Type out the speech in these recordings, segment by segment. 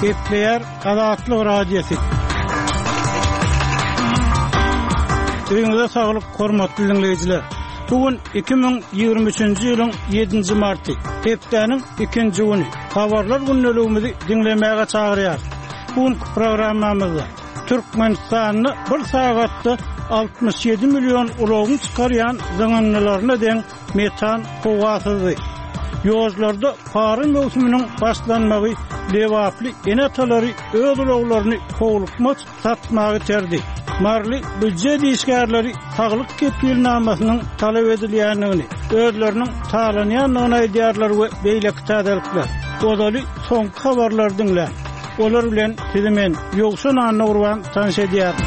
Gepleýär Azatlyk Radiosy. Öýüňize saglyk, hormatly diňleýjiler. Bu gün 2023-nji ýylyň 7-nji marty, hepdäniň ikinji güni. Habarlar gündeligimizi diňlemäge çagyrýarys. Bu günki programmamyzda Türkmenistanda bir sagatda 67 million ulagyň çykarýan zyňyndylaryna deň metan howa syzdy. Ýollarda para möwsüminiň başlanmagy lebaply ene-atalary öz ulaglaryny howlukmaç satmaga iterdi. Maryly býujet işgärleri saglyk kepilnamasynyň talap edilýändigini, özleriniň talanýandygyny aýdýarlar we beýleki täzelikler. Ozaly soňky habarlary diňläň. Olar bilen sizi men, Ýowşan Annagurban tanyş edýärin.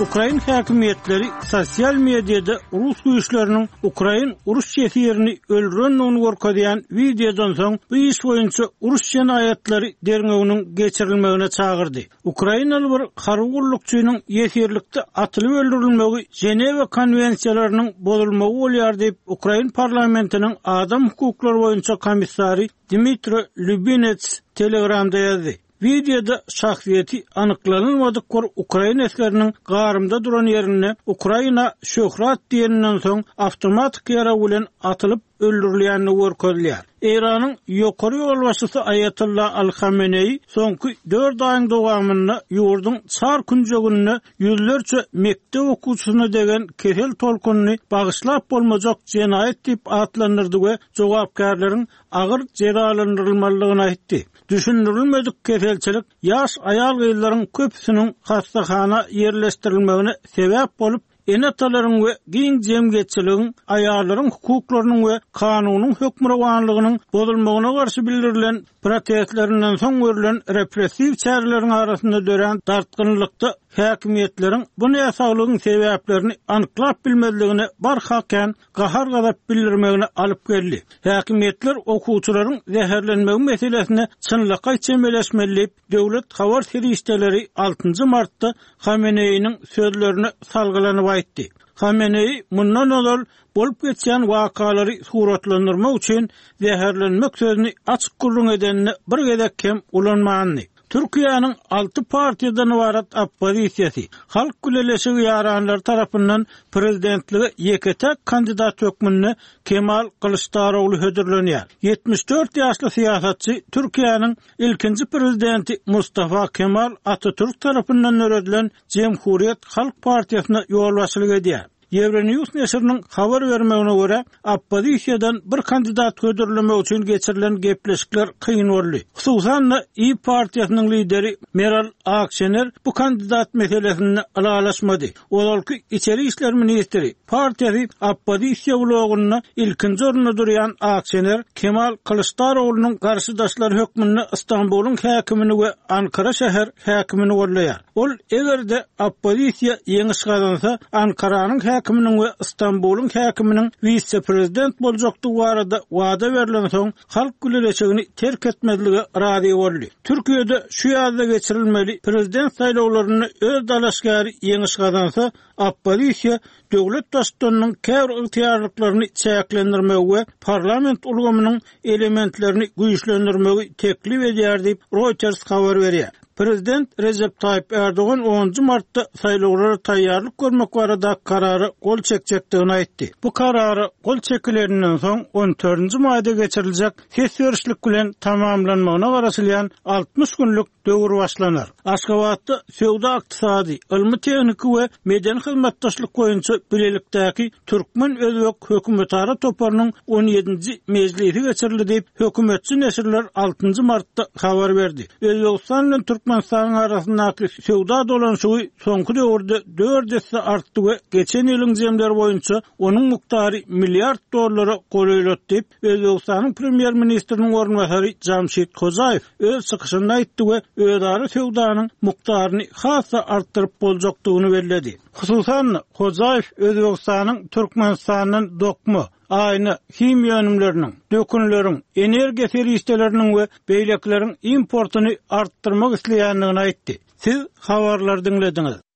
Ukrain häkimiýetleri sosial mediada rus güýçleriniň ukrain uruş ýesirini öldürendigini görkezýän wideodan soň bu iş boýunça uruş jenaýatlary derňewiniň geçirilmegine çagyrdy. Ukrainaly bir harby gullukçynyň ýesirlikde atylyp öldürilmegi Ženewa konwensiýalarynyň bozulmagy bolýar diýip, ukrain parlamentiniň adam hukuklary boýunça komissary Dmitro Lubinets Telegramda ýazdy. Wideoda şahsyýeti anyklanylmadyk bir ukrain esgeriniň garymda duran ýerinde Ukraina şöhrat diýeninden soň awtomatik ýarag bilen atylyp öldürilýändigi görkezilýär. Eýranyň ýokary ýolbaşçysy Aýatolla Al Hameneýi soňky dört aýyň dowamynda ýurduň çar künjeginde ýüzlerçe mekdep okuwçysyna degen kesel tolkunyny bagyşlap bolmajak jenaýat diýip atlandyrdy we jogapkärleriň agyr jezalandyrylmalydygyny aýtdy. Düşündirilmedik keselçilik ýaş aýal-gyzlaryň köpüsiniň hassahana ýerleşdirilmegine sebäp bolup, ene-atalaryň we giň jemgyýetçiligiň aýallaryň hukuklarynyň we kanunyň hökmürowanlygynyň bozulmagyna garşy bildirilen protestlerinden soň görlen repressiw çäreleriň arasynda dörän dartgynlylykda häkimiýetleriň bu näsaglygyň sebäplerini anyklap bilmezligine barha kän gahar-gazap bildirmegine alyp geldi. Häkimiýetler okuwçylaryň zäherlenmegi meselesine çynlakaý çemeleşmeli diýip, döwlet habar serişdeleri altynjy martda Hameneýiniň sözlerine salgylanyp aýtdy. Hameneýi mundan ozal bolup geçýän wakalary suratlandyrmak üçin zäherlenmek sözüni açyk gürrüň edeninde bir gezek hem ulanmandy. Türkiýäniň alty partiýadan ybarat oppozisiýasy Halk bileleşigi ýaranlary tarapyndan prezidentlige ýeke-täk kandidat hökmünde Kemal Kylyçdarogly hödürlenýär. 74 ýaşly syýasatçy Türkiýäniň ilkinji prezidenti Mustafa Kemal Atatürk tarapyndan döredilen Jemhuriýet halk partiýasyna ýolbaşçylyk edýär. Euronews neşiriniň habar bermegine görä, oppozisiýadan bir kandidat hödürlemek üçin geçirilen gepleşikler kyn boldy. Hususan-da, Iyi partiýasynyň lideri Meral Akşener bu kandidat meselesinde ylalaşmady. Ozalky içeri işler ministri, partiýasy oppozisiýa blogunda ilkinji orunda durýan Akşener Kemal Kylyçdaroglunyň garşydaşlary hökmünde Stambulyň häkimini we Ankara şäher häkimini goldaýar. Ol eger-de oppozisiýa ýeňiş gazansa, Ankaranyň häkiminiň we Stambulyň häkiminiň wise-prezident boljakdygy barada wada berlensoň, Halk bileleşigini terk etmezlige razy boldy. Türkiýede şu ýazda geçirilmeli prezident saýlawlarynda öz dalaşgäri ýeňiş gazansa, oppozisiýa döwlet baştutanynyň käbir ygtyýarlyklaryny çäklendirmegi we parlament ulgamynyň elementlerini güýçlendirmegi teklip edýär diýip, Reuters habar berýär. Prezident Rejep Taýyp Ärdogan onunjy martda saýlawlara taýýarlyk görmek barada karara gol çekjekdigini aýtdy. Bu karara gol çekileninden soň on dördünji maýda geçiriljek ses berişlik bilen tamamlanmagyna garaşylýan 60 günlük döwür başlanar. Aşgabatda söwda-ykdysady, ylmy-tehniki we medeni hyzmatdaşlyk boýunça bilelikdäki türkmen-özbek hökümetara toparynyň on ýedinji mejlisi geçirildi diýip, hökümetçi neşirler altynjy martda habar berdi. Özbegistan bilen Türkmenistanyň arasyndaky söwda dolanyşygy soňky döwürde dört esse artdy we geçen ýylyň jemleri boýunça onuň mukdary milliard dollara golaýlady diýip, Özbegistanyň premýer-ministriniň orunbasary Jamşid Hojaýew öz çykyşynda aýtdy we özara söwdanyň mukdaryny has-da artdyryp boljakdygyny belledi. Hususan-da, Hojaýew Özbegistanyň Türkmenistandan dokma, aýna, himiýa önümleriniň, dökünleriň, energiýa serişdeleriniň we beýlekileriň importyny artdyrmak isleýändigini aýtdy. Siz habarlary diňlediňiz.